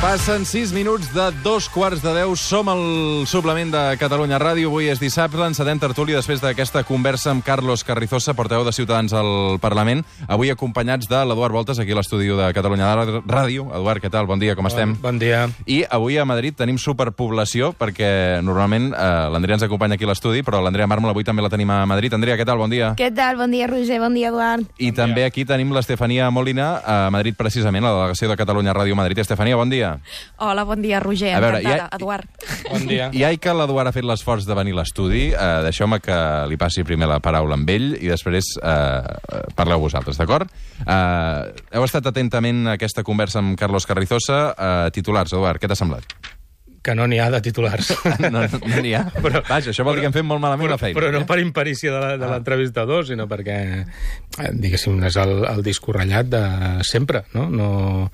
Passen 6 minuts de 2:15. Som al suplement de Catalunya Ràdio. Avui és dissabte, encetem tertúlia després d'aquesta conversa amb Carlos Carrizosa, portaveu de Ciutadans al Parlament. Avui acompanyats de l'Eduard Voltes, aquí a l'estudi de Catalunya Ràdio. Eduard, què tal? Bon dia, com estem? Bon dia. I avui a Madrid tenim superpoblació, perquè normalment l'Andrea ens acompanya aquí a l'estudi, però l'Andrea Mármol avui també la tenim a Madrid. Andrea, què tal? Bon dia. Què tal? Bon dia, Roger. Bon dia, Eduard. I també aquí tenim l'Estefania Molina a Madrid, precisament, a la delegació de Catalunya Ràdio a Madrid. Estefania, bon dia. Hola, bon dia, Roger. A veure, encantada, Eduard. Bon dia. Ja que l'Eduard ha fet l'esforç de venir a l'estudi, deixeu-me que li passi primer la paraula amb ell i després parleu vosaltres, d'acord? Heu estat atentament a aquesta conversa amb Carlos Carrizosa. Titulars, Eduard, què t'ha semblat? Que no n'hi ha de titulars. No n'hi ha? Però, vaja, això vol dir que hem fet molt malament la feina. Però no per imperícia de l'entrevistador, sinó perquè, diguéssim, és el disc ratllat de sempre, no?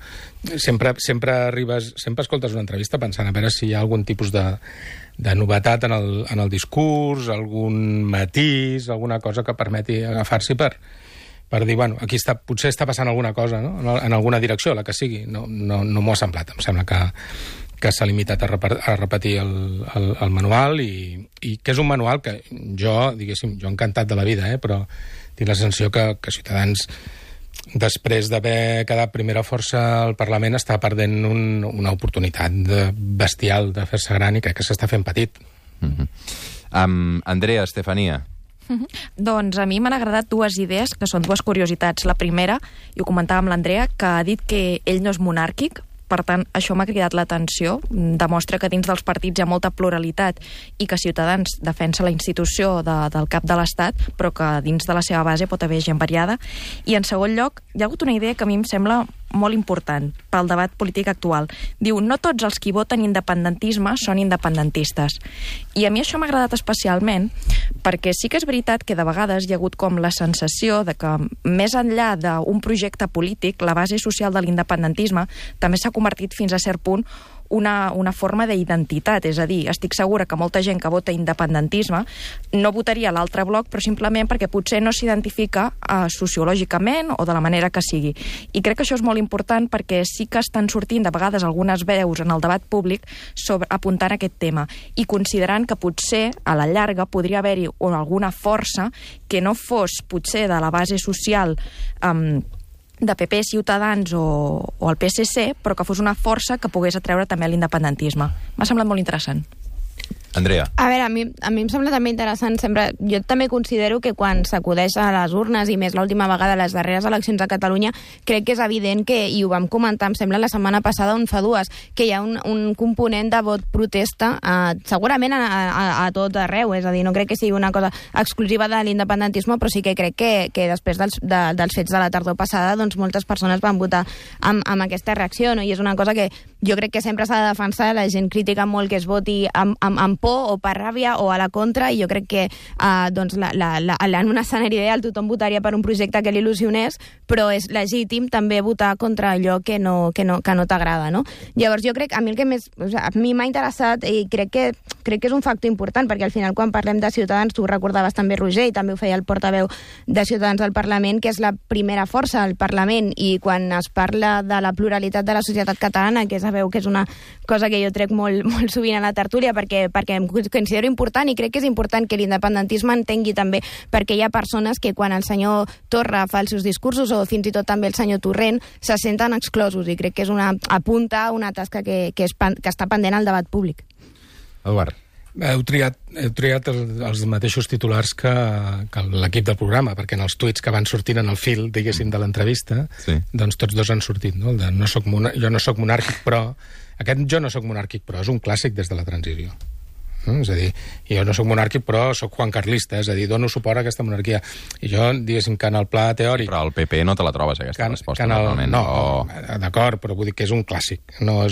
Sempre escoltes una entrevista pensant a veure si hi ha algun tipus de novetat en el discurs, algun matís, alguna cosa que permeti agafar-s'hi per dir, bueno, aquí potser està passant alguna cosa, no? En alguna direcció, la que sigui. No m'ho ha semblat. Em sembla que s'ha limitat a repetir el manual i que és un manual que jo encantat de la vida, però tinc la sensació que Ciutadans, després d'haver quedat primera força al Parlament, està perdent una oportunitat bestial de fer-se gran i crec que s'està fent petit. Andrea, Estefania. Doncs a mi m'han agradat dues idees, que són dues curiositats. La primera, i ho comentava amb l'Andrea, que ha dit que ell no és monàrquic. Per tant, això m'ha cridat l'atenció. Demostra que dins dels partits hi ha molta pluralitat i que Ciutadans defensa la institució del cap de l'Estat, però que dins de la seva base pot haver gent variada. I, en segon lloc, hi ha hagut una idea que a mi em sembla molt important pel debat polític actual. Diu, no tots els qui voten independentisme són independentistes. I a mi això m'ha agradat especialment perquè sí que és veritat que de vegades hi ha hagut com la sensació de que més enllà d'un projecte polític, la base social de l'independentisme també s'ha convertit fins a cert punt una forma d'identitat, és a dir, estic segura que molta gent que vota independentisme no votaria l'altre bloc, però simplement perquè potser no s'identifica sociològicament o de la manera que sigui. I crec que això és molt important perquè sí que estan sortint de vegades algunes veus en el debat públic apuntant aquest tema i considerant que potser a la llarga podria haver-hi alguna força que no fos potser de la base social de PP, Ciutadans o el PSC, però que fos una força que pogués atreure també l'independentisme. M'ha semblat molt interessant. Andrea. A veure, a mi em sembla també interessant sempre. Jo també considero que quan s'acudeix a les urnes, i més l'última vegada a les darreres eleccions a Catalunya, crec que és evident que, i ho vam comentar, em sembla, la setmana passada on fa dues, que hi ha un component de vot protesta segurament a tot arreu, és a dir, no crec que sigui una cosa exclusiva de l'independentisme, però sí que crec que després dels fets de la tardor passada, doncs moltes persones van votar amb aquesta reacció, no? I és una cosa que jo crec que sempre s'ha de defensar. La gent critica molt que es voti amb por o per ràbia o a la contra, i jo crec que en un escenari ideal tothom votaria per un projecte que l'il·lusionés, però és legítim també votar contra allò que no t'agrada, no? Llavors jo crec, a mi m'ha interessat i crec que és un factor important, perquè al final quan parlem de Ciutadans, tu ho recordaves també, Roger, i també ho feia el portaveu de Ciutadans al Parlament, que és la primera força al Parlament, i quan es parla de la pluralitat de la societat catalana, que sabeu que és una cosa que jo trec molt, molt sovint a la tertúlia perquè em considero important, i crec que és important que l'independentisme entengui també perquè hi ha persones que quan el senyor Torra fa els seus discursos, o fins i tot també el senyor Torrent, se senten exclosos, i crec que és apunta una tasca que està pendent al debat públic. Eduard. Heu triat els mateixos titulars que l'equip del programa, perquè en els tuits que van sortint en el fil, diguéssim, de l'entrevista, doncs tots dos han sortit, no? El de jo no soc monàrquic, però... Aquest jo no soc monàrquic, però és un clàssic des de la transició. És a dir, jo no soc monàrquic, però soc juancarlista, és a dir, dono suport a aquesta monarquia. I jo, diguéssim, que en el pla teòric... Però al PP no te la trobes, aquesta resposta, normalment. No, d'acord, però vull dir que és un clàssic. No,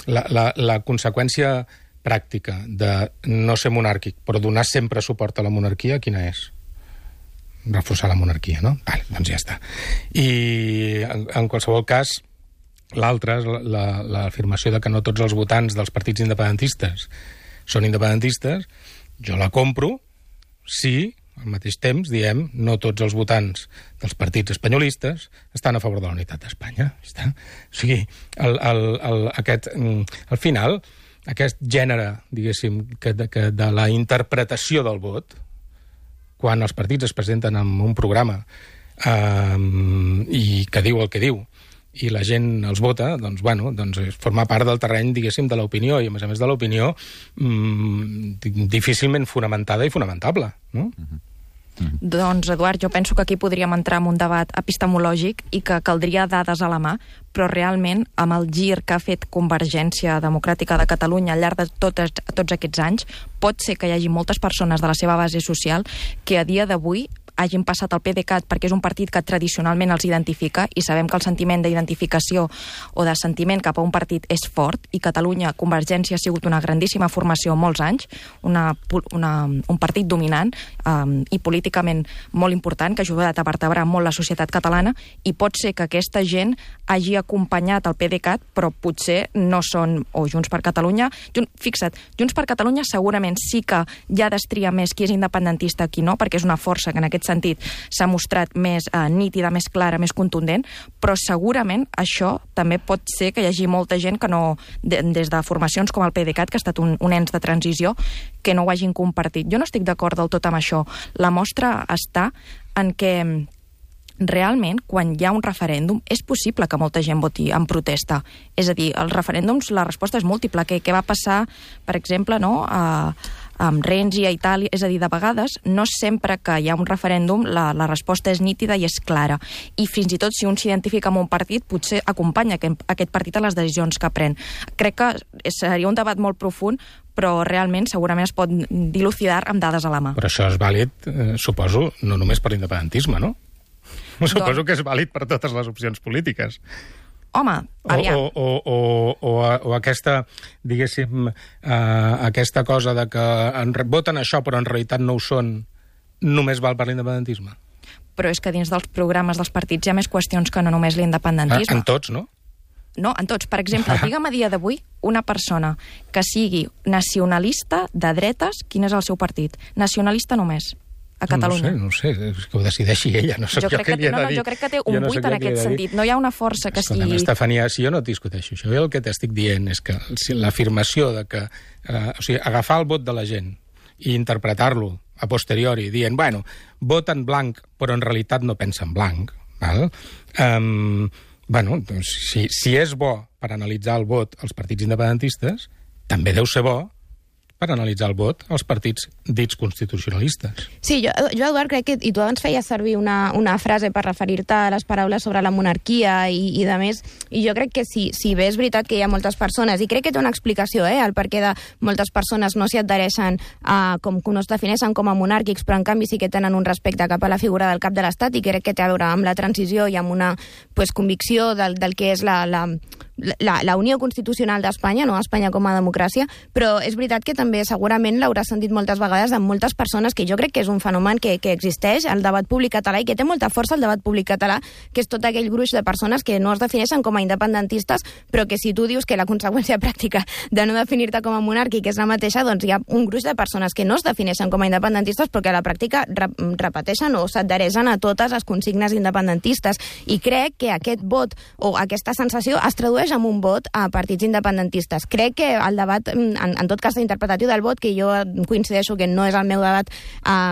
la conseqüència pràctica de no ser monàrquic, però donar sempre suport a la monarquia, quina és? Reforçar la monarquia, no? Vale, doncs ja està. I, en qualsevol cas, l'altra és l'afirmació de que no tots els votants dels partits independentistes són independentistes. Jo la compro si al mateix temps, diem, no tots els votants dels partits espanyolistes estan a favor de la unitat d'Espanya. O sigui, al final, aquest gènere, diguéssim, de la interpretació del vot, quan els partits es presenten amb un programa i que diu el que diu, i la gent els vota, doncs, bueno, forma part del terreny, diguéssim, de l'opinió, i a més de l'opinió difícilment fonamentada i fonamentable, no? Doncs, Eduard, jo penso que aquí podríem entrar en un debat epistemològic i que caldria dades a la mà, però realment, amb el gir que ha fet Convergència Democràtica de Catalunya al llarg de tots aquests anys, pot ser que hi hagi moltes persones de la seva base social que a dia d'avui hagin passat al PDeCAT perquè és un partit que tradicionalment els identifica i sabem que el sentiment d'identificació o de sentiment cap a un partit és fort i Catalunya, Convergència ha sigut una grandíssima formació molts anys, un partit dominant i políticament molt important que ha ajudat a vertebrar molt la societat catalana i pot ser que aquesta gent hagi acompanyat el PDeCAT però potser no són o Junts per Catalunya. Fixa't, Junts per Catalunya segurament sí que ja destria més qui és independentista qui no, perquè és una força que en aquest sentit s'ha mostrat més nítida, més clara, més contundent, però segurament això també pot ser que hi hagi molta gent que no, des de formacions com el PDeCAT, que ha estat un ens de transició, que no ho hagin compartit. Jo no estic d'acord del tot amb això. La mostra està en què realment, quan hi ha un referèndum, és possible que molta gent voti en protesta. És a dir, els referèndums, la resposta és múltiple. Què va passar, per exemple, no?, amb Renzi a Itàlia, és a dir, de vegades no sempre que hi ha un referèndum la resposta és nítida i és clara, i fins i tot si un s'identifica amb un partit potser acompanya aquest partit a les decisions que pren. Crec que seria un debat molt profund, però realment segurament es pot dilucidar amb dades a la mà. Però això és vàlid, suposo, no només per l'independentisme, no? Suposo que és vàlid per totes les opcions polítiques. Home, aviam. O aquesta, diguéssim, aquesta cosa de que voten això però en realitat no ho són, només val per l'independentisme? Però és que dins dels programes dels partits hi ha més qüestions que no només l'independentisme. En tots, no? No, en tots. Per exemple, digue'm a dia d'avui una persona que sigui nacionalista de dretes, quin és el seu partit? Nacionalista només. A Catalunya. No sé, que ho decideixi ella, no sé jo què li he de dir. Jo crec que té un 8 en aquest sentit. No hi ha una força que sigui... Estefania, si jo no et discuteixo això, jo el que t'estic dient és que l'afirmació de que... o sigui, agafar el vot de la gent i interpretar-lo a posteriori, dient, bueno, voten blanc, però en realitat no pensen blanc, val? Bueno, doncs, si és bo per analitzar el vot als partits independentistes, també deu ser bo per analitzar el vot als partits dits constitucionalistes. Sí, jo Eduard, crec que... I tu abans feies servir una frase per referir-te a les paraules sobre la monarquia i de més, i jo crec que si bé és veritat que hi ha moltes persones, i crec que té una explicació, el perquè de moltes persones no s'hi adhereixen com que no es defineixen com a monàrquics, però en canvi sí que tenen un respecte cap a la figura del cap de l'Estat, i crec que té a veure amb la transició i amb una convicció del que és la Unió Constitucional d'Espanya, no Espanya com a democràcia, però és veritat que també segurament l'haurà sentit moltes vegades amb moltes persones, que jo crec que és un fenomen que existeix al debat públic català i que té molta força al debat públic català, que és tot aquell gruix de persones que no es defineixen com a independentistes, però que si tu dius que la conseqüència pràctica de no definir-te com a monàrquic és la mateixa, doncs hi ha un gruix de persones que no es defineixen com a independentistes però que a la pràctica repeteixen o s'adhereixen a totes les consignes independentistes, i crec que aquest vot o aquesta sensació es tradueix amb un vot a partits independentistes. Crec que el debat, en tot cas interpretatiu del vot, que jo coincideixo que no és el meu debat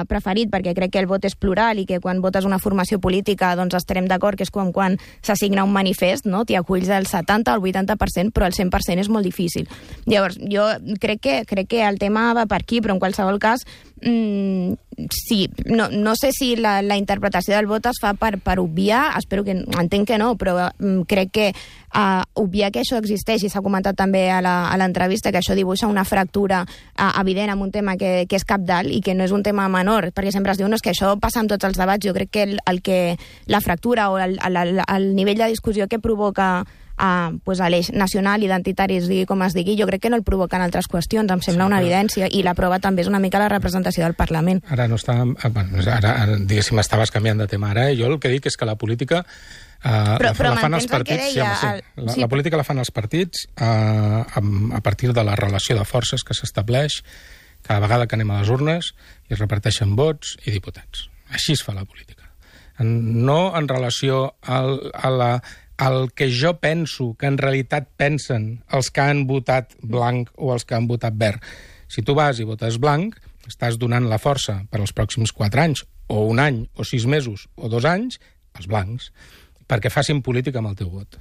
preferit, perquè crec que el vot és plural i que quan votes una formació política doncs estarem d'acord que és com quan s'assigna un manifest, no? T'hi aculls el 70 o el 80%, però el 100% és molt difícil. Llavors, jo crec que el tema va per aquí, però en qualsevol cas sí, no sé si la interpretació del vot es fa per obviar, entenc que no, però crec que obviar que això existeix, i s'ha comentat també a l'entrevista, que això dibuixa una fractura evident amb un tema que és cabdal i que no és un tema menor, perquè sempre es diu, no, és que això passa en tots els debats. Jo crec que la fractura o el nivell de discussió que provoca a l'eix nacional, identitari, es digui com es digui, jo crec que no el provoquen altres qüestions, em sembla una evidència, i la prova també és una mica la representació del Parlament. Ara no està... Ara diguéssim, estaves canviant de tema ara, jo el que dic és que la política la fan els partits, la política la fan els partits a partir de la relació de forces que s'estableix cada vegada que anem a les urnes, i es reparteixen vots i diputats. Així es fa la política. No en relació al que jo penso que en realitat pensen els que han votat blanc o els que han votat verd. Si tu vas i votes blanc, estàs donant la força per als pròxims 4 anys, o 1 any, o 6 mesos, o 2 anys, als blancs, perquè facin política amb el teu vot.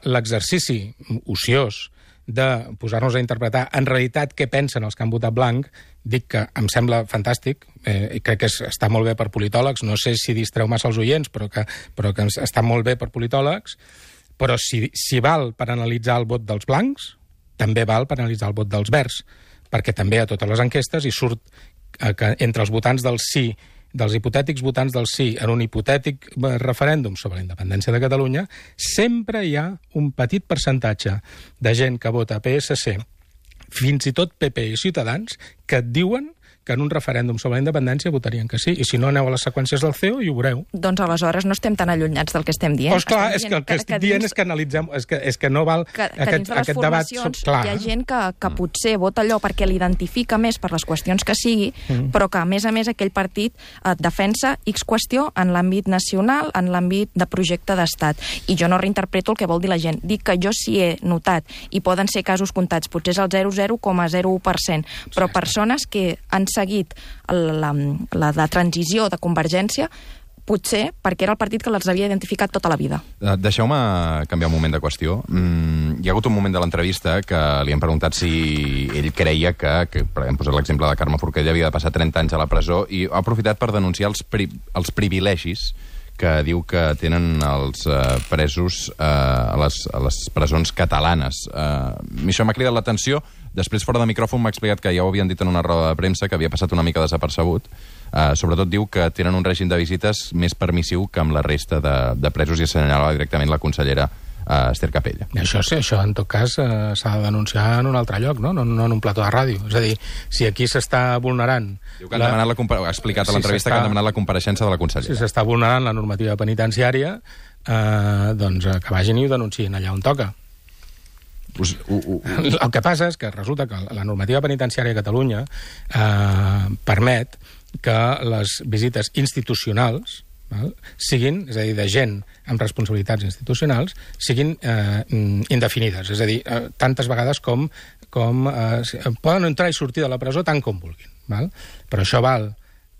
L'exercici ociós de posar-nos a interpretar en realitat què pensen els que han votat blanc, dic que em sembla fantàstic, i crec que està molt bé per politòlegs, no sé si distreu massa els oients, però que està molt bé per politòlegs, però si val per analitzar el vot dels blancs, també val per analitzar el vot dels verds, perquè també a totes les enquestes hi surt que entre els votants del sí, dels hipotètics votants del sí en un hipotètic referèndum sobre la independència de Catalunya, sempre hi ha un petit percentatge de gent que vota PSC, fins i tot PP i Ciutadans, que et diuen que en un referèndum sobre la independència votarien que sí. I si no, aneu a les seqüències del CEO i ho veureu. Doncs aleshores no estem tan allunyats del que estem dient. Doncs clar, és que el que estic dient és que analitzem, és que no val aquest debat. Hi ha gent que potser vota allò perquè l'identifica més per les qüestions que sigui, però que a més aquell partit defensa X qüestió en l'àmbit nacional, en l'àmbit de projecte d'estat. I jo no reinterpreto el que vol dir la gent. Dic que jo sí he notat, i poden ser casos comptats, potser és el 0,01%, però persones que han seguit la transició de Convergència, potser perquè era el partit que les havia identificat tota la vida. Deixeu-me canviar un moment de qüestió. Hi ha hagut un moment de l'entrevista que li han preguntat si ell creia que hem posat l'exemple de Carme Forcadell, havia de passar 30 anys a la presó, i ha aprofitat per denunciar els privilegis que diu que tenen els presos a les presons catalanes. Això m'ha cridat l'atenció. Després, fora de micròfon, m'ha explicat que ja ho havien dit en una roda de premsa, que havia passat una mica desapercebut. Sobretot diu que tenen un règim de visites més permissiu que amb la resta de presos, i assenyalava directament la consellera Esther Capella. Això en tot cas s'ha de denunciar en un altre lloc, no en un plató de ràdio. És a dir, si aquí s'està vulnerant... Diu que ha explicat a l'entrevista que han demanat la compareixença de la consellera. Si s'està vulnerant la normativa penitenciària, doncs que vagin i ho denunciïn allà on toca. El que passa és que resulta que la normativa penitenciària a Catalunya permet que les visites institucionals siguin, és a dir, de gent amb responsabilitats institucionals, siguin indefinides. És a dir, tantes vegades com poden entrar i sortir de la presó tant com vulguin. Però això val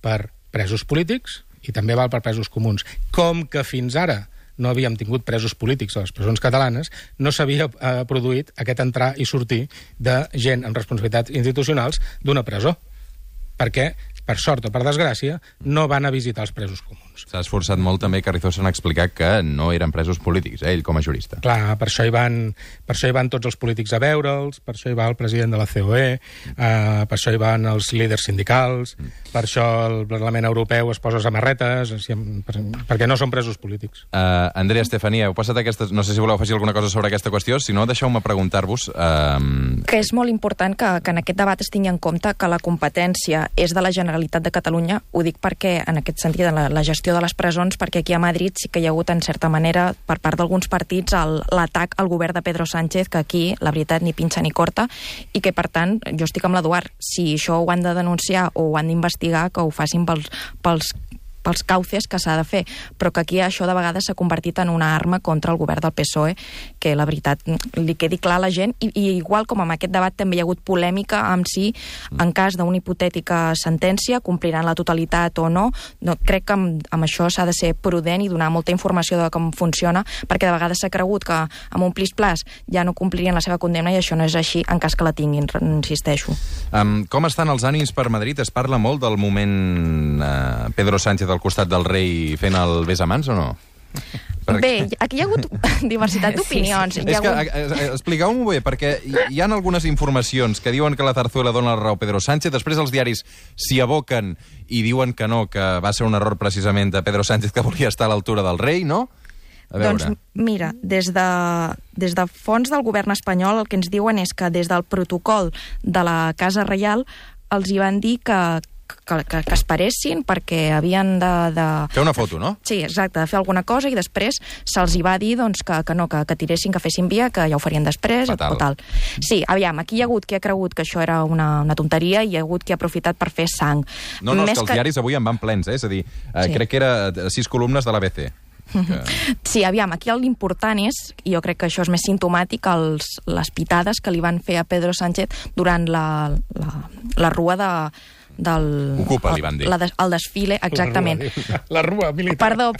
per presos polítics i també val per presos comuns. Com que fins ara no havíem tingut presos polítics a les presons catalanes, no s'havia produït aquest entrar i sortir de gent amb responsabilitats institucionals d'una presó. Perquè, per sort o per desgràcia, no van a visitar els presos comuns. S'ha esforçat molt també Carrizosa en explicar que no eren presos polítics, ell com a jurista. Clar, per això hi van tots els polítics a veure'ls, per això hi va el president de la COE, per això hi van els líders sindicals, per això el Parlament Europeu es posa samarretes, perquè no són presos polítics. Andrea, Estefania, heu passat aquestes... No sé si voleu afegir alguna cosa sobre aquesta qüestió, si no, deixeu-me preguntar-vos... Que és molt important que en aquest debat es tingui en compte que la competència és de la Generalitat de Catalunya. Ho dic perquè, en aquest sentit, la gestió de les presons, perquè aquí a Madrid sí que hi ha hagut, en certa manera, per part d'alguns partits, l'atac al govern de Pedro Sánchez, que aquí, la veritat, ni pinxa ni corta, i que, per tant, jo estic amb l'Eduard. Si això ho han de denunciar o ho han d'investigar, que ho facin pels cauces que s'ha de fer, però que aquí això de vegades s'ha convertit en una arma contra el govern del PSOE, que la veritat li quedi clar a la gent, i igual com en aquest debat també hi ha hagut polèmica amb si en cas d'una hipotètica sentència compliran la totalitat o no. Crec que amb això s'ha de ser prudent i donar molta informació de com funciona, perquè de vegades s'ha cregut que amb un plis-plas ja no complirien la seva condemna, i això no és així en cas que la tinguin, insisteixo. Com estan els ànims per Madrid? Es parla molt del moment Pedro Sánchez al costat del rei fent el bes a mans o no? Bé, aquí hi ha hagut diversitat d'opinions. Sí. Expliqueu-m'ho bé, perquè hi ha algunes informacions que diuen que la Zarzuela dona la raó a Pedro Sánchez, després els diaris s'hi aboquen i diuen que no, que va ser un error precisament de Pedro Sánchez, que volia estar a l'altura del rei, no? Doncs mira, des de fons del govern espanyol el que ens diuen és que des del protocol de la Casa Reial els hi van dir que que esperessin perquè havien de... Fer una foto, no? Sí, exacte, de fer alguna cosa i després se'ls hi va dir doncs, que no, que tiressin, que fessin via, que ja ho farien després o tal. Sí, aviam, aquí hi ha hagut qui ha cregut que això era una tonteria i hi ha hagut qui ha aprofitat per fer sang. No, és que els diaris avui en van plens, és a dir, crec que era 6 columnes de l'ABC. Sí, aviam, aquí l'important és, i jo crec que això és més simptomàtic, les pitades que li van fer a Pedro Sánchez durant la rua del... Ocupa, li van dir. El desfile, exactament. La rua militar. Perdó.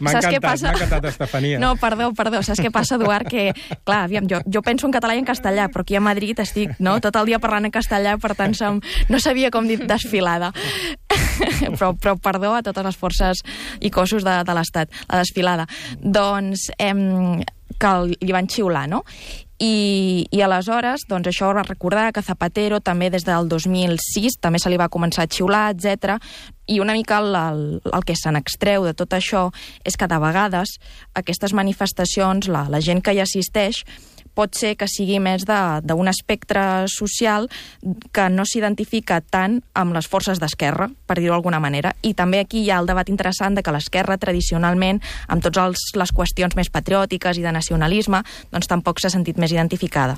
M'ha encantat, Estefania. No, perdó. Saps què passa, Eduard? Que, clar, aviam, jo penso en català i en castellà, però aquí a Madrid estic tot el dia parlant en castellà, per tant no sabia com dir desfilada. Però perdó a totes les forces i cossos de l'Estat, la desfilada. Doncs que li van xiular, no? I aleshores, doncs això va recordar que Zapatero també des del 2006 també se li va començar a xiular, etc. I una mica el que se n'extreu de tot això és que de vegades aquestes manifestacions, la gent que hi assisteix, pot ser que sigui més d'un espectre social que no s'identifica tant amb les forces d'esquerra, per dir-ho d'alguna manera. I també aquí hi ha el debat interessant de que l'esquerra, tradicionalment, amb totes les qüestions més patriòtiques i de nacionalisme, doncs tampoc s'ha sentit més identificada.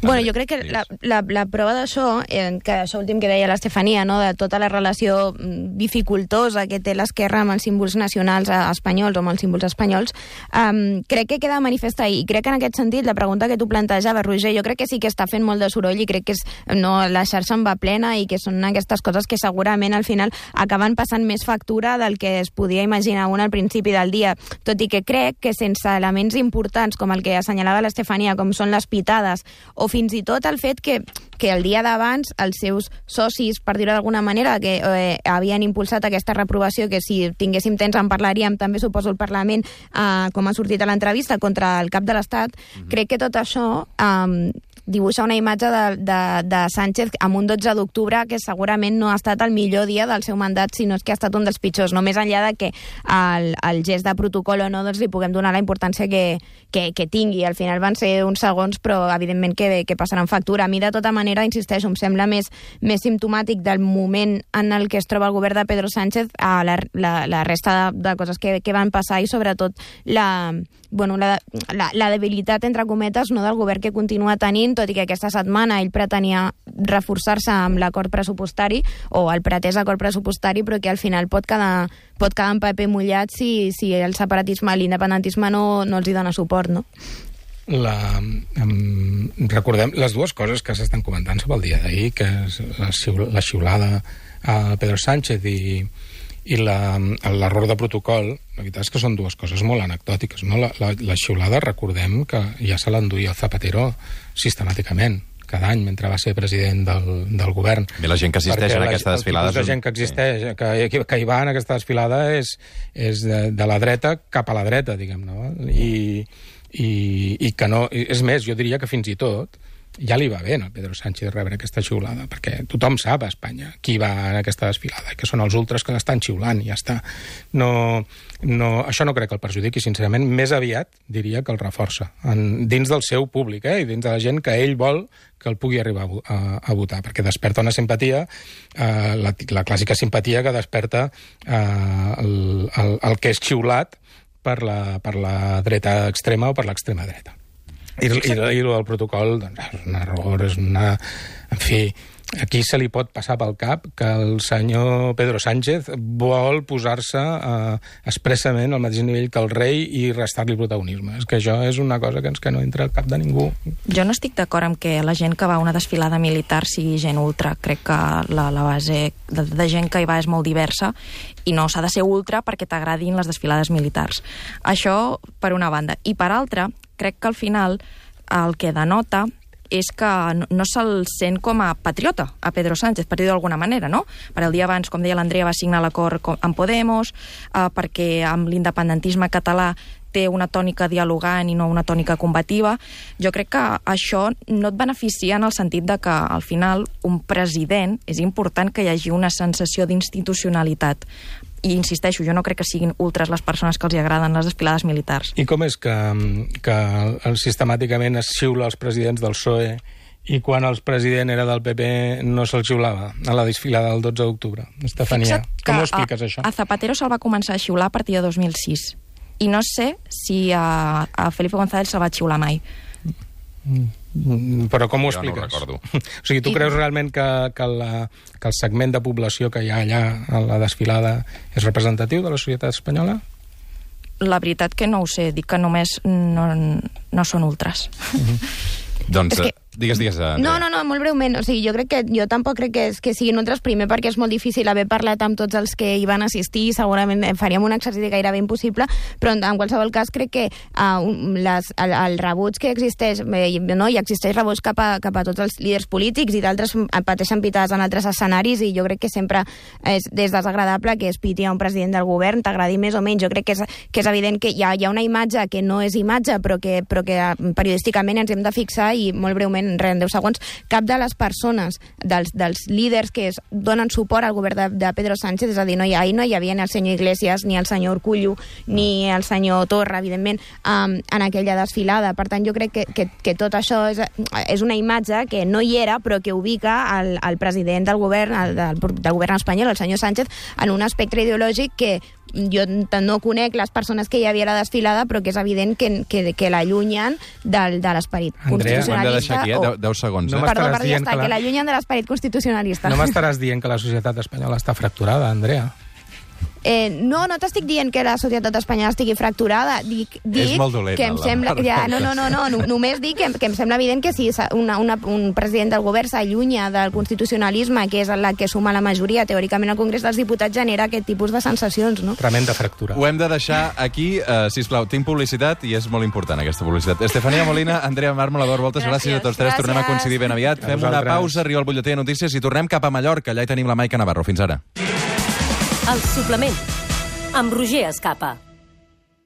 Bueno, jo crec que la prova d'això, que això últim que deia l'Estefania, no? De tota la relació dificultosa que té l'esquerra amb els símbols nacionals espanyols o amb els símbols espanyols, crec que queda manifesta i crec que en aquest sentit la pregunta que tu plantejaves, Roger, jo crec que sí que està fent molt de soroll i crec que la xarxa en va plena i que són aquestes coses que segurament al final acaben passant més factura del que es podia imaginar un al principi del dia, tot i que crec que sense elements importants com el que assenyalava l'Estefania, com són les pitades o fins i tot el fet que el dia d'abans els seus socis, per dir-ho d'alguna manera, que havien impulsat aquesta reprovació, que si tinguéssim temps en parlaríem, també suposo el Parlament, com ha sortit a l'entrevista, contra el cap de l'Estat, crec que tot això dibuixa una imatge de Sánchez amb un 12 d'octubre que segurament no ha estat el millor dia del seu mandat, sinó és que ha estat un dels pitjors, no més enllà de que el gest de protocol o no doncs li puguem donar la importància que tingui. Al final van ser uns segons, però evidentment que passaran factura. A mi, de tota manera, insisteixo, em sembla més simptomàtic del moment en el que es troba el govern de Pedro Sánchez a la resta de coses que van passar i sobretot la debilitat, entre cometes, no, del govern que continua tenint, tot i que aquesta setmana ell pretenia reforçar-se amb l'acord pressupostari o el pretès acord pressupostari, però que al final pot quedar en paper mullat si el separatisme, l'independentisme no els hi dona suport, no? Recordem les dues coses que s'estan comentant sobre el dia d'ahir, que és la xiulada a Pedro Sánchez i l'error de protocol. La veritat és que són dues coses molt anecdòtiques, no? La xiulada, recordem que ja se l'enduia el Zapatero sistemàticament cada any mentre va ser president del govern. I la gent que assisteix en aquesta desfilada... La gent que existeix, que hi va en aquesta desfilada és de la dreta cap a la dreta, diguem, no? I que no... És més, jo diria que fins i tot ja li va bé a Pedro Sánchez rebre aquesta xiulada, perquè tothom sap a Espanya qui va en aquesta desfilada, que són els ultres que l'estan xiulant i ja està. Això no crec que el perjudiqui, sincerament, més aviat diria que el reforça dins del seu públic, i dins de la gent que ell vol que el pugui arribar a votar, perquè desperta una simpatia, la clàssica simpatia que desperta el que és xiulat per la dreta extrema o per l'extrema dreta. I el protocol, doncs, és un error, en fi, aquí se li pot passar pel cap que el senyor Pedro Sánchez vol posar-se expressament al mateix nivell que el rei i restar-li protagonisme. És que això és una cosa que no entra al cap de ningú. Jo no estic d'acord amb que la gent que va a una desfilada militar sigui gent ultra. Crec que la base de gent que hi va és molt diversa i no s'ha de ser ultra perquè t'agradin les desfilades militars. Això per una banda. I per altra, crec que al final el que denota és que no se'l sent com a patriota a Pedro Sánchez, per dir-ho d'alguna manera, no? Per el dia abans, com deia l'Andrea, va signar l'acord amb Podemos, perquè amb l'independentisme català té una tònica dialogant i no una tònica combativa. Jo crec que això no et beneficia en el sentit de que, al final, un president és important que hi hagi una sensació d'institucionalitat. I insisteixo, jo no crec que siguin ultres les persones que els agraden les desfilades militars. I com és que sistemàticament es xiula els presidents del PSOE I quan el president era del PP no se'l xiulava a la desfilada del 12 d'octubre. Estefania, com ho expliques, això? A Zapatero se'l va començar a xiular a partir de 2006. I no sé si a Felipe González se'l va xiular mai. Però com ho expliques? Jo no ho recordo. O sigui, tu creus realment que el segment de població que hi ha allà a la desfilada és representatiu de la societat espanyola? La veritat que no ho sé, dic que només no són ultras. Doncs digues, Andrea. No, molt breument. O sigui, jo tampoc crec que siguin ultres, primer perquè és molt difícil haver parlat amb tots els que hi van assistir, segurament faríem un exercici gairebé impossible, però en qualsevol cas crec que el rebuig que existeix, hi existeix rebuig cap a tots els líders polítics i d'altres pateixen pitades en altres escenaris, i jo crec que sempre és desagradable que es piti a un president del govern, t'agradi més o menys. Jo crec que és evident que hi ha una imatge que no és imatge, però que periodísticament ens hem de fixar, i molt breument, en 10 segons, cap de les persones, dels líders que donen suport al govern de Pedro Sánchez, és a dir, ahir no hi havia ni el senyor Iglesias, ni el senyor Urkullu, ni el senyor Torra, evidentment, en aquella desfilada. Per tant, jo crec que tot això és una imatge que no hi era, però que ubica el president del govern, del govern espanyol, el senyor Sánchez, en un espectre ideològic que jo no conec les persones que hi havia a la desfilada, però que és evident que l'allunyen de l'esperit constitucionalista. Ho hem de deixar aquí, 10 segons. Perdó, ja està, que l'allunyen de l'esperit constitucionalista. No m'estaràs dient que la societat espanyola està fracturada, Andrea? No t'estic dient que la societat espanyola estigui fracturada. Dic és molt dolent, que em sembla... Només dic que em sembla evident que si un president del govern s'allunya del constitucionalisme, que és la que suma la majoria, teòricament al Congrés dels Diputats, genera aquest tipus de sensacions, no? Tremenda fractura. Ho hem de deixar aquí, sisplau. Tinc publicitat i és molt important aquesta publicitat. Estefania Molina, Andrea Mármol, Eduard Voltes, gràcies a tots tres. Tornem a coincidir ben aviat. Fem una pausa, arriba el butlletí de notícies i tornem cap a Mallorca. Allà hi tenim la Maica Navarro. Fins ara. El suplement, amb Roger Escapa.